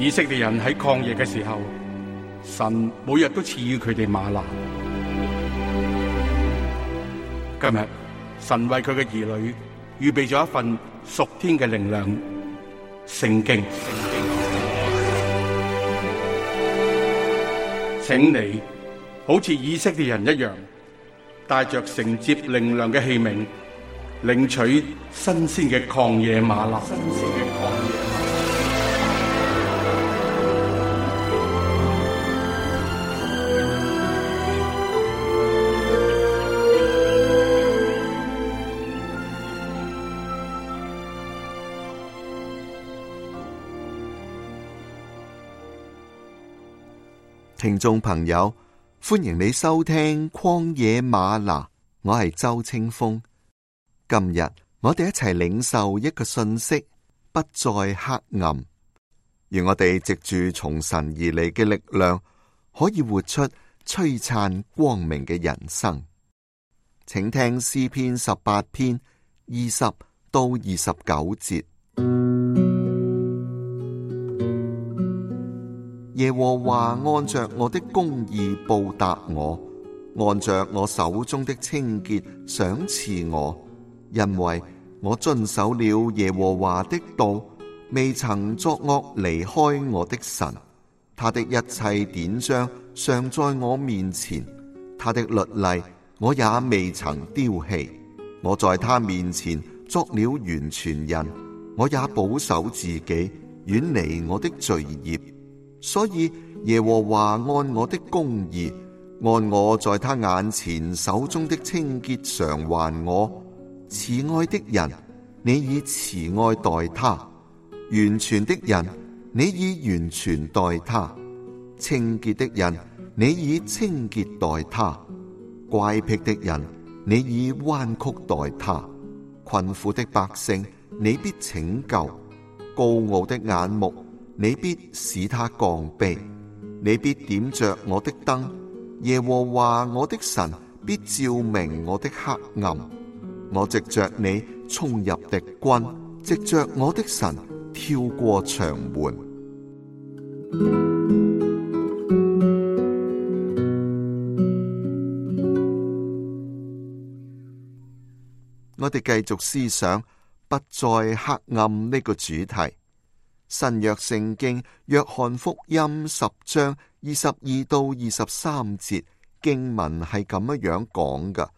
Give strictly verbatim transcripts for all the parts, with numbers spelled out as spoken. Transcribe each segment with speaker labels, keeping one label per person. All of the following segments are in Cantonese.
Speaker 1: 以色列人喺曠野嘅時候，神每日都賜予佢哋嗎哪。今日神為佢嘅兒女預備咗一份屬天嘅靈糧——聖經。請你好似以色列人一樣，帶着承接靈糧嘅器皿，領取新鮮嘅曠野嗎哪。
Speaker 2: 聽眾朋友，歡迎你收聽曠野嗎哪，我係周清風。今日我哋一齊領受一個信息，不再黑暗，而我哋藉住從神而嚟嘅力量，可以活出璀璨光明嘅人生。請聽詩篇十八篇二十到二十九節。耶和華按着我的公義報答我，按着我手中的清潔賞賜我，因為我遵守了耶和華的道，未曾作惡離開我的神。他的一切典章常在我面前，他的律例我也未曾丟棄。我在他面前作了完全人，我也保守自己，遠離我的罪孽。所以耶和華按我的公義，按我在他眼前手中的清潔償還我。慈愛的人，你以慈愛待他；完全的人，你以完全待他；清潔的人，你以清潔待他；乖僻的人，你以彎曲待他；困苦的百姓，你必拯救；高傲的眼目，你必使他降卑，你必點着我的燈，耶和華我的神必照明我的黑暗。我藉着你衝入敵軍，藉着我的神跳過牆垣。我哋繼續思想不再黑暗呢個主題。新約聖經約翰福音十章二十二到二十三節經文係咁樣樣講㗎：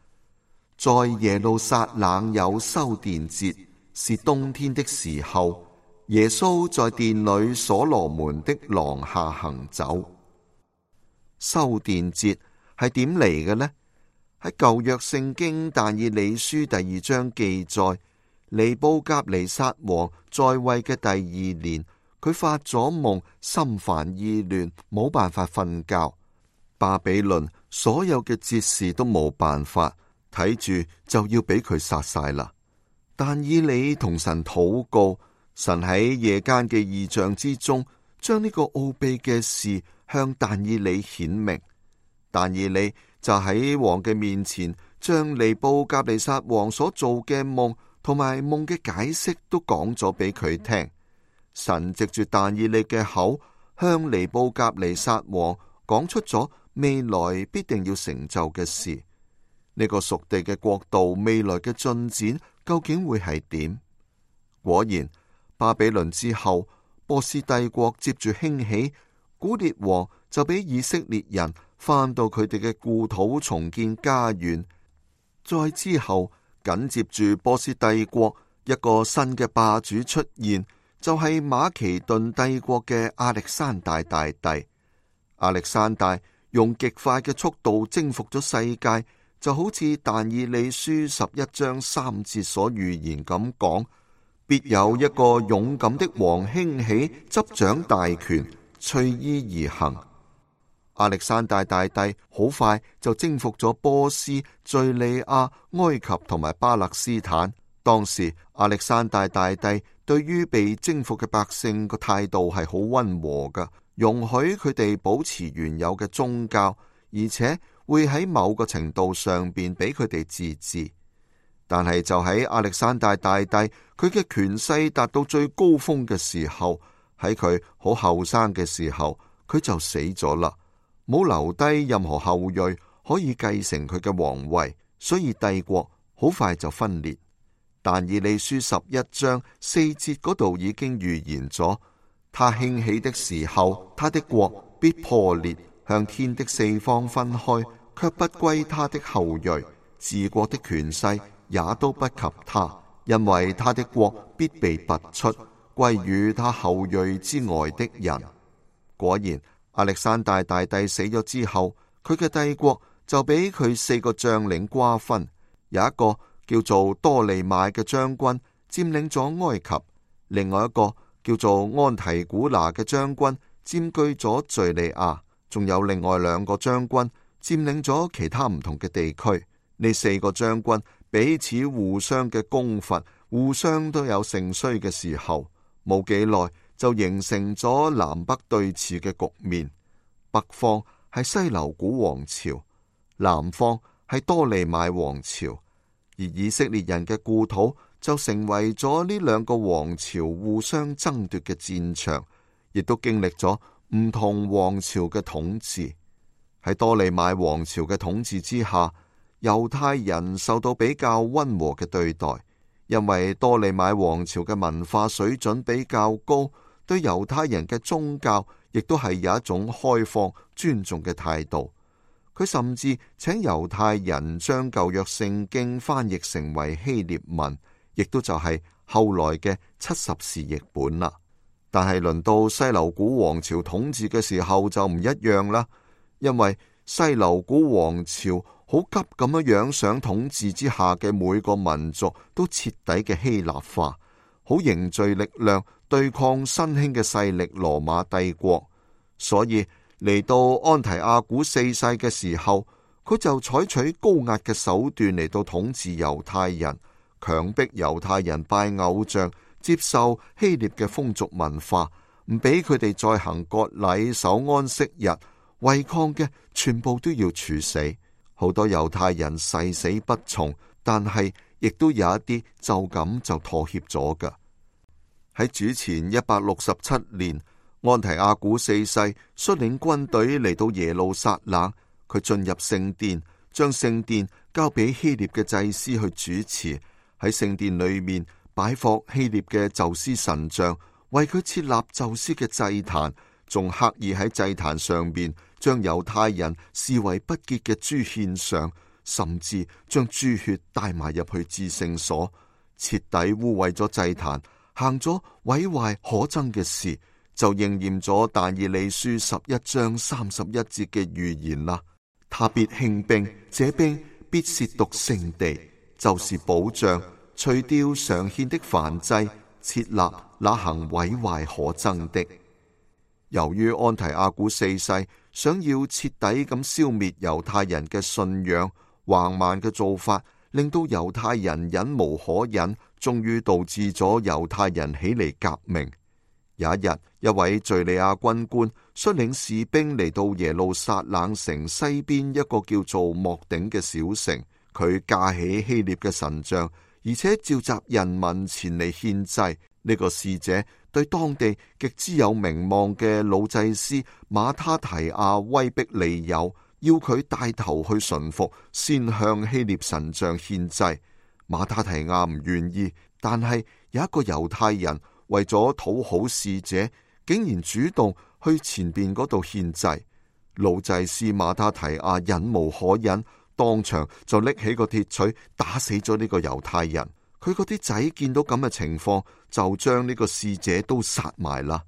Speaker 2: 在耶路撒冷有修殿節，是冬天的時候，耶穌在殿裏所羅門的廊下行走。修殿節係點嚟嘅呢？喺舊約聖經但以理書第二章記載，尼布甲尼撒王在位嘅第二年，佢發咗夢，心煩意亂，冇辦法瞓覺。巴比倫所有嘅哲士都冇辦法，睇住就要俾佢殺晒啦。但以理同神禱告，神喺夜間嘅異象之中，將呢個奧秘嘅事向但以理顯明。但以理就喺王嘅面前，將尼布甲尼撒王所做嘅夢同埋夢嘅解釋都講咗俾佢聽。神藉住但以理嘅口，向尼布甲尼撒王講出咗未來必定要成就嘅事。呢個屬地嘅國度未來嘅進展究竟會係點？果然，巴比倫之後，波斯帝國接住興起，古列王就俾以色列人翻到佢哋嘅故土重建家園。再之後，緊接住波斯帝國一個新嘅霸主出現，就係馬其頓帝國嘅亞歷山大大帝。亞歷山大用極快嘅速度征服咗世界，就好似但以理書十一章三節所預言咁講：必有一個勇敢的王興起，執掌大權，隨意而行。亞歷山大大帝好快就征服咗波斯、敘利亞、埃及同埋巴勒斯坦。當時亞歷山大大帝對於被征服嘅百姓個態度係好溫和噶，容許佢哋保持原有嘅宗教，而且會喺某個程度上邊俾佢哋自治。但係就喺亞歷山大大帝佢嘅權勢達到最高峰嘅時候，喺佢好後生嘅時候，佢就死咗啦，冇留低任何後裔可以繼承佢嘅皇位，所以帝國好快就分裂。但以理書十一章四節嗰度已經預言咗，他興起的時候，他的國必破裂，向天的四方分開，卻不歸他的後裔，治國的權勢也都不及他，因為他的國必被拔出，歸於他後裔之外的人。果然，亞歷山大大帝死咗之後，佢嘅帝國就俾佢四個將領瓜分，有一個叫做多利買嘅將軍佔領咗埃及，另外一個叫做安提古拿嘅將軍佔據咗敘利亞，仲有另外兩個將軍佔領咗其他唔同嘅地區。呢四個將軍彼此互相嘅攻伐，互相都有盛衰嘅時候，冇幾耐就形成咗南北對峙嘅局面。北方係西流古王朝，南方係多利買王朝，而以色列人嘅故土就成為咗呢兩個王朝互相爭奪嘅戰場，亦都經歷咗唔同王朝嘅統治。喺多利買王朝嘅統治之下，猶太人受到比較溫和嘅對待，因為多利買王朝嘅文化水準比較高，對猶太人嘅宗教亦都係有一種開放尊重嘅態度。佢甚至請猶太人將舊約聖經翻譯成為希臘文，亦都就係後來嘅七十士譯本啦。但係輪到西流古王朝統治嘅時候就唔一樣啦，因為西流古王朝好急咁樣樣想統治之下嘅每個民族都徹底嘅希臘化，好凝聚力量對抗新興嘅勢力羅馬帝國。所以嚟到安提阿古四世嘅時候，佢就採取高壓嘅手段嚟到統治猶太人，強迫猶太人拜偶像，接受希臘嘅風俗文化，唔俾佢哋再行割禮、守安息日，違抗嘅全部都要處死。好多猶太人誓死不從，但係亦都有一啲就咁就妥協咗㗎。喺主前一百六十七年，安提阿古四世率領軍隊嚟到耶路撒冷，佢進入聖殿，將聖殿交俾希臘嘅祭司去主持。喺聖殿裏面擺放希臘嘅宙斯神像，為佢設立宙斯嘅祭壇，仲刻意喺祭壇上面將猶太人視為不潔嘅豬獻上，甚至將豬血帶埋入去至聖所，徹底污穢咗祭壇，行咗毀壞可憎嘅事，就應驗咗但以理書十一章三十一節嘅預言啦。他必興兵，這兵必褻瀆聖地，就是保障，除掉常獻的燔祭，設立那行毀壞可憎的。由於安提阿古四世想要徹底咁消滅猶太人嘅信仰，橫蠻嘅做法令到猶太人忍無可忍，終於導致咗猶太人起嚟革命。有一日，一位敘利亞軍官率領士兵嚟到耶路撒冷城西邊一個叫做莫頂嘅小城，佢架起希臘嘅神像，而且召集人民前嚟獻祭。呢個使者對當地極之有名望嘅老祭司馬他提亞威逼利誘，要佢帶頭去順服，先向希臘神像獻祭。馬他提亞唔願意，但係有一個猶太人為咗討好使者，竟然主動去前邊嗰度獻祭。老祭司馬他提亞忍無可忍，當場就拎起個鐵錘打死咗呢個猶太人。佢嗰啲仔見到咁嘅情況，就將呢個使者都殺埋啦。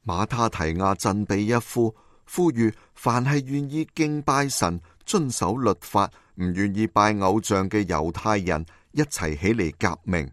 Speaker 2: 馬他提亞振臂一呼，呼籲凡係願意敬拜神、遵守律法、唔願意拜偶像嘅猶太人一齊起嚟革命。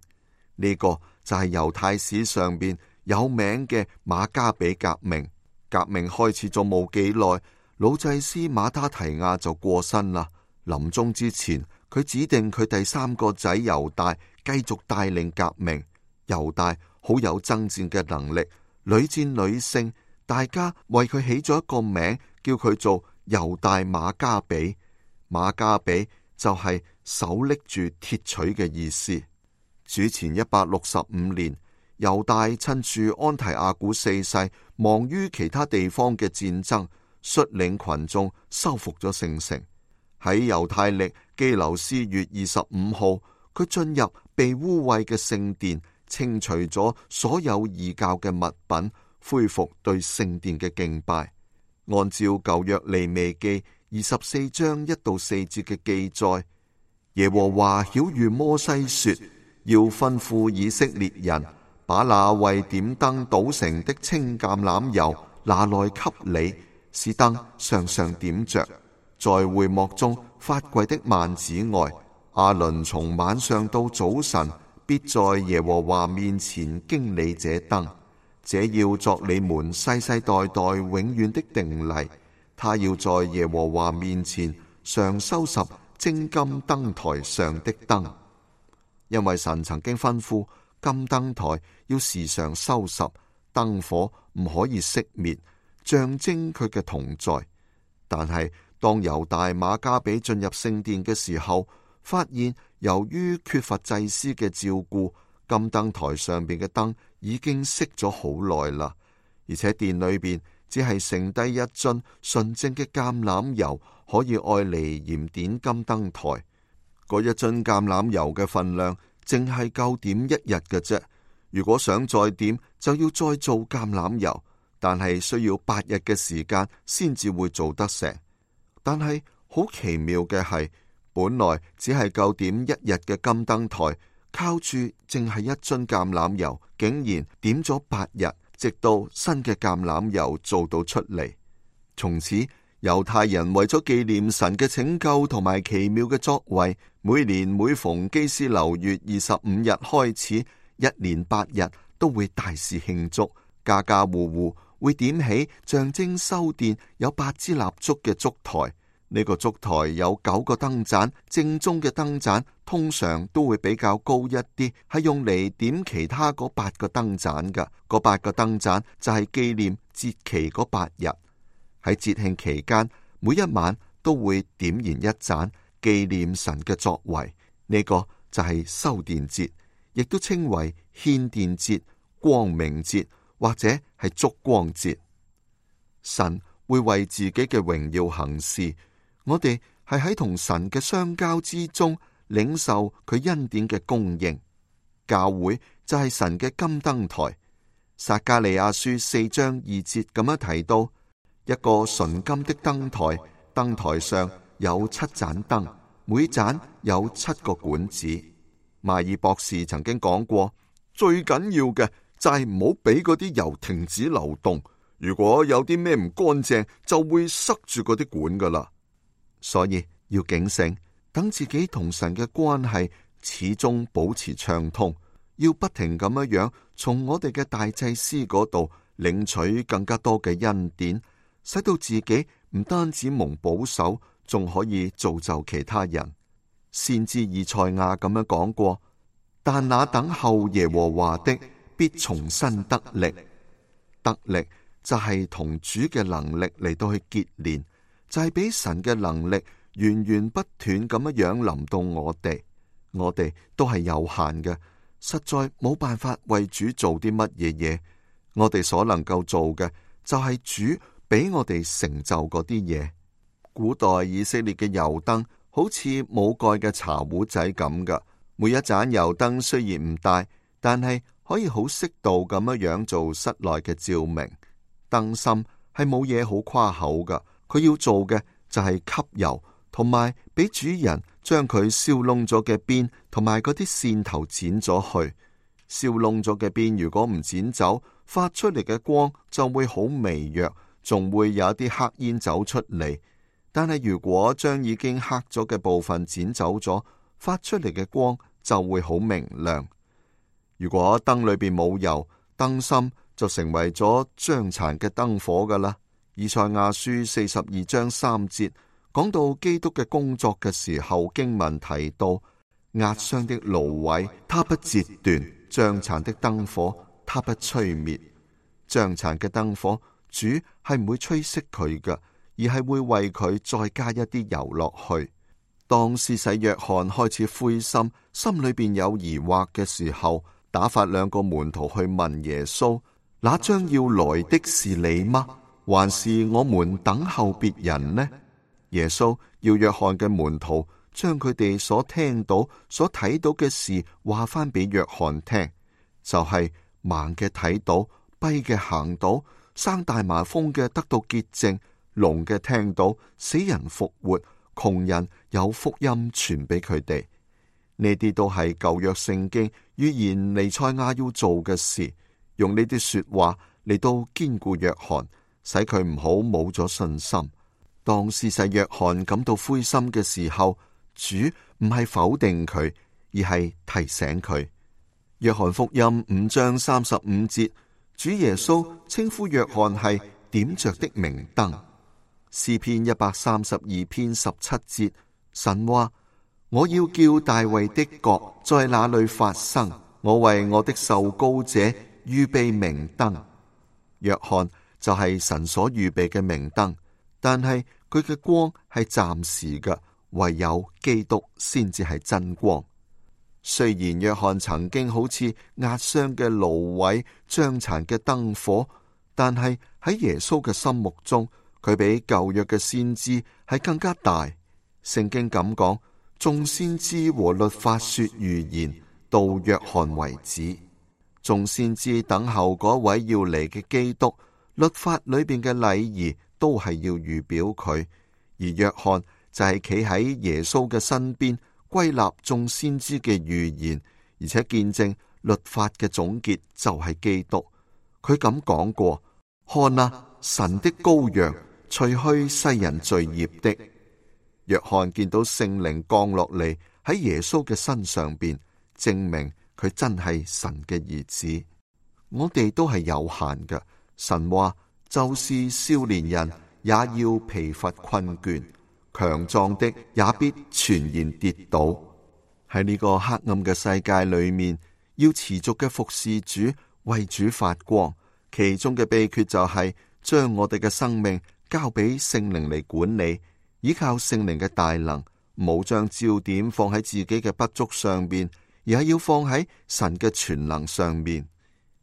Speaker 2: 呢、這個就係猶太史上邊有名嘅馬加比革命。革命開始咗冇幾耐，老祭司馬他提亞就過身啦。臨終之前，佢指定佢第三個仔猶大繼續帶領革命。猶大好有爭戰嘅能力，屢戰屢勝，大家為佢起咗一個名，叫佢做猶大馬加比。馬加比就係手拎住鐵錘嘅意思。主前一百六十五年，猶大趁住安提阿古四世忙於其他地方嘅戰爭，率領群眾收復咗聖城。喺猶太曆基留斯月二十五號，佢進入被污穢嘅聖殿，清除咗所有異教嘅物品，恢復對聖殿嘅敬拜。按照舊約利未記二十四章一到四節嘅記載，耶和華曉諭摩西說，要吩咐以色列人把那為點燈倒成的清橄欖油拿來給你，使燈常常點着。在會幕中發櫃的幔子外，亞倫從晚上到早晨必在耶和華面前經理這燈，這要作你們世世代代永遠的定例。他要在耶和華面前常收拾精金燈台上的燈，因為神曾經吩咐金燈台要時常收拾，燈火唔可以熄滅，象徵佢嘅同在。但係當猶大馬加比進入聖殿嘅時候，發現由於缺乏祭司嘅照顧，金燈台上邊嘅燈已經熄咗好耐啦，而且殿裏邊只係剩低一樽純正嘅橄欖油，可以愛嚟燃點金燈台。嗰一樽橄欖油嘅份量淨係夠點一日嘅啫。如果想再點，就要再做橄欖油，但係需要八日嘅時間先至會做得成。但係好奇妙嘅係，本來只係夠點一日嘅金燈台，靠住淨係一樽橄欖油，竟然點咗八日，直到新嘅橄欖油做到出嚟。從此猶太人為咗紀念神嘅拯救同埋奇妙嘅作為，每年每逢基斯流月二十五日開始，一連八日都會大肆慶祝，家家戶戶會點起象徵修殿有八支蠟燭嘅燭台。呢個燭台有九個燈盞，正宗嘅燈盞通常都會比較高一啲，係用嚟點其他嗰八個燈盞㗎。嗰八個燈盞就係紀念節期嗰八日。喺節慶期間，每一晚都會點燃一盞，紀念神嘅作為。呢個就係修殿節，亦都稱為獻殿節、光明節或者係燭光節。神會為自己嘅榮耀行事，我哋係喺同神嘅相交之中領受佢恩典嘅供應。教會就係神嘅金燈台。撒迦利亞書四章二節咁樣提到，一個純金的燈台，燈台上有七盞燈，每盞有七個管子。邁爾博士曾經講過，最緊要嘅就係唔好俾嗰啲油停止流動，如果有啲咩唔乾淨，就會塞住嗰啲管噶啦。所以要警醒，等自己同神嘅關係始終保持暢通，要不停咁樣樣從我哋嘅大祭司嗰度領取更加多嘅恩典，使到自己唔單止蒙保守，仲可以造就其他人。先知以賽亞咁樣講過，但那等候耶和華的必重新得力。得力就係同主嘅能力嚟到去結連，就係俾神嘅能力源源不斷咁樣樣臨到我哋。我哋都係有限嘅，實在冇辦法為主做啲乜嘢嘢。我哋所能夠做嘅就係主俾我哋成就嗰啲嘢。古代以色列嘅油燈好似冇蓋嘅茶壺仔咁噶，每一盞油燈雖然唔大，但係可以好適度咁樣樣做室內嘅照明。燈芯係冇嘢好誇口噶，佢要做嘅就係吸油，同埋俾主人將佢燒燶咗嘅邊同埋嗰啲線頭剪咗去。燒燶咗嘅邊如果唔剪走，發出嚟嘅光就會好微弱，仲會有一啲黑煙走出嚟。但係如果將已經黑咗嘅部分剪走咗，發出嚟嘅光就會好明亮。如果燈裏邊冇油，燈芯就成為咗將殘嘅燈火噶啦。以賽亞書四十二章三節講到基督嘅工作嘅時候，經文提到壓傷的蘆葦，他不折斷；將殘的燈火，他不吹滅。將殘嘅燈火，主係唔會吹熄佢噶，而係會為佢再加一啲油落去。當施洗約翰開始灰心，心裏邊有疑惑嘅時候，打發兩個門徒去問耶穌：那將要來的是你嗎？還是我們等候別人呢？耶穌要約翰嘅門徒將佢哋所聽到、所睇到嘅事話翻俾約翰聽，就係、是、盲嘅睇到、跛嘅行到、生大麻風嘅得到潔淨、聾嘅聽到、死人復活、窮人有福音傳俾佢哋。呢啲都係舊約聖經預言彌賽亞要做嘅事，用呢啲說話嚟到堅固約翰，使佢唔好冇咗信心。當事實約翰感到灰心嘅時候，主唔係否定佢，而係提醒佢。約翰福音五章三十五節，主耶穌稱呼約翰係點着的明燈。詩篇一百三十二篇十七節，神話：我要叫大衛的國在那裏發生，我為我的受膏者預備明燈。約翰就係神所預備嘅明燈，但係佢嘅光係暫時嘅，唯有基督先至係真光。雖然約翰曾經好似壓傷嘅蘆葦、將殘嘅燈火，但係喺耶穌嘅心目中，佢比舊約嘅先知係更加大。聖經咁講，眾先知和律法說預言，到約翰為止。眾先知等候嗰位要嚟嘅基督，律法裏邊嘅禮儀都係要預表佢，而約翰就係企喺耶穌嘅身邊，歸納眾先知嘅預言，而且見證律法嘅總結就係基督。佢咁講過：看啊，神的羔羊，除去世人罪孽的。約翰見到聖靈降落嚟喺耶穌嘅身上邊，證明佢真係神嘅兒子。我哋都係有限嘅，神話就是少年人也要疲乏困倦，強壯的也必全然跌倒。喺呢個黑暗嘅世界裏面，要持續嘅服侍主，為主發光，其中嘅秘訣就係將我哋嘅生命交俾聖靈嚟管理，依靠聖靈嘅大能，冇將焦點放喺自己嘅不足上邊，而係要放喺神嘅全能上面。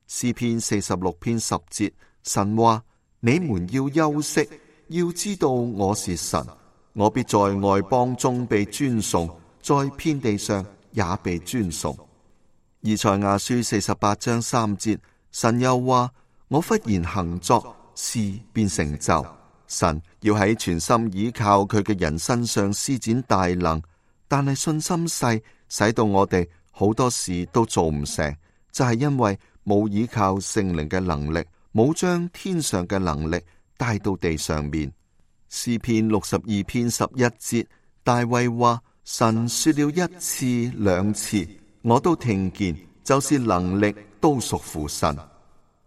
Speaker 2: 詩篇四十六篇十節，神話：你們要休息，要知道我是神，我必在外邦中被尊崇，在遍地上也被尊崇。以賽亞書四十八章三節，神又話：我忽然行作，事便成就。神要喺全心倚靠佢嘅人身上施展大能，但係信心細，使到我哋好多事都做唔成，就係因為冇倚靠聖靈嘅能力，冇將天上嘅能力帶到地上面。詩篇六十二篇十一節，大衛話：神說了一次兩次，我都聽見，就是能力都屬乎神。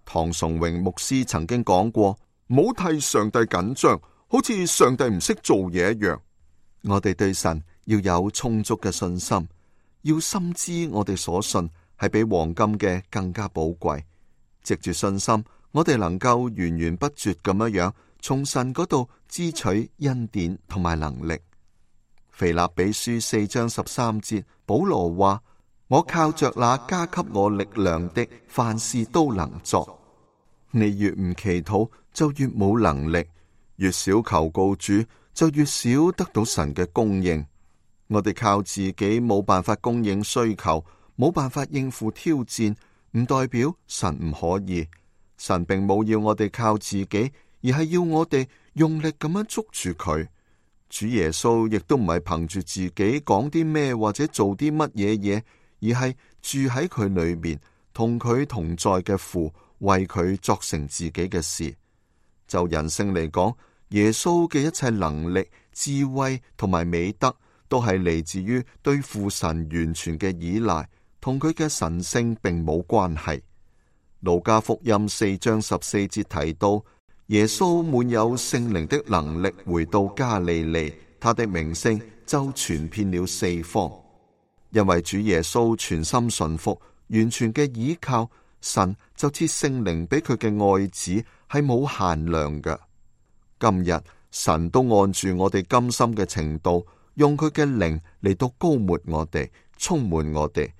Speaker 2: 唐崇榮牧師曾經講過：唔好替上帝緊張，好似上帝唔識做嘢一樣。我哋對神要有充足嘅信心，要深知我哋所信係比黃金嘅更加寶貴。藉住信心，我哋能夠源源不絕咁樣樣從神嗰度支取恩典同埋能力。腓立比書四章十三節，保羅話：我靠着那加給我力量的，凡事都能做。你越唔祈禱，就越冇能力；越少求告主，就越少得到神嘅供應。我哋靠自己冇辦法供應需求，冇辦法應付挑戰，唔代表神唔可以。神並冇要我哋靠自己，而係要我哋用力咁樣捉住佢。主耶穌亦都唔係憑住自己講啲咩或者做啲乜嘢嘢，而係住喺佢裏面，同佢同在嘅父為佢作成自己嘅事。就人性嚟講，耶穌嘅一切能力、智慧同埋美德，都係嚟自於對父神完全嘅依賴，同佢嘅神性並冇關係。路加福音四章十四節提到，耶穌滿有聖靈的能力回到加利利，他的名聲就傳遍了四方。因為主耶穌全心順服，完全嘅依靠神，就賜聖靈俾佢嘅愛子，係冇限量嘅。今日神都按住我哋甘心嘅程度，用佢嘅靈嚟到膏抹我哋，充滿我哋。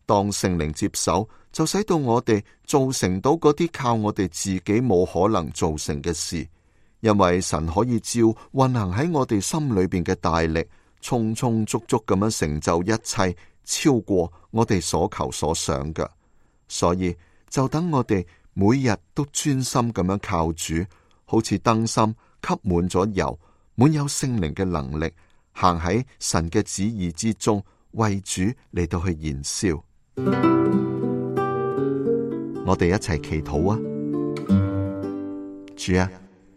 Speaker 2: 當聖靈接手，就使到我哋做成到嗰啲靠我哋自己冇可能做成嘅事。因為神可以照運行喺我哋心裏邊嘅大力，充充足足咁樣成就一切，超過我哋所求所想嘅。所以就等我哋每日都專心咁樣靠主，好似燈芯吸滿咗油，滿有聖靈嘅能力，行喺神嘅旨意之中，為主嚟到去燃燒。我哋一齊祈禱啊！主啊，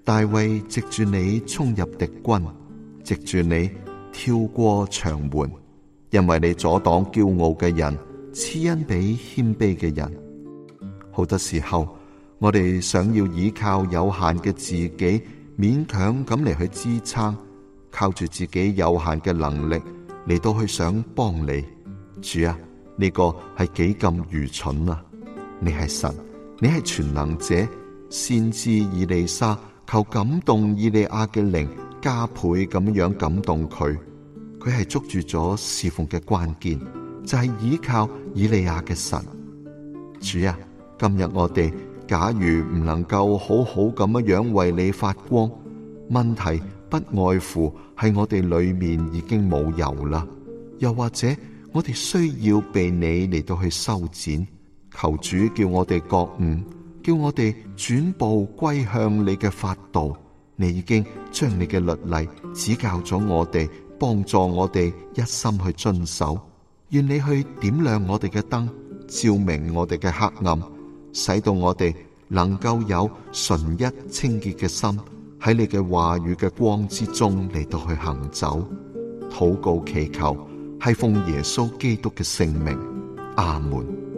Speaker 2: 大衛藉住你衝入敵軍，藉住你跳過牆垣，因為你阻擋驕傲嘅人，賜恩俾謙卑嘅人。好多時候，我哋想要依靠有限嘅自己，勉強咁嚟去支撐，靠住自己有限嘅能力嚟到去想幫你。主啊，呢個係幾咁愚蠢啊！你係神，你係全能者。先知以利沙求感動以利亞嘅靈，加倍咁樣感動佢。佢係捉住咗侍奉嘅關鍵，就係依靠以利亞嘅神。主啊，今日我哋假如唔能夠好好咁樣為你發光，問題不外乎係我哋裏面已經冇油啦，又或者我哋需要被你嚟到去修剪。求主叫我哋覺悟，叫我哋轉步歸向你嘅法度。你已經將你嘅律例指教咗我哋，幫助我哋一心去遵守。願你去點亮我哋嘅燈，照明我哋嘅黑暗，使到我哋能夠有純一清潔嘅心，喺你嘅話語嘅光之中嚟到去行走。禱告祈求係奉耶穌基督嘅聖名，阿門。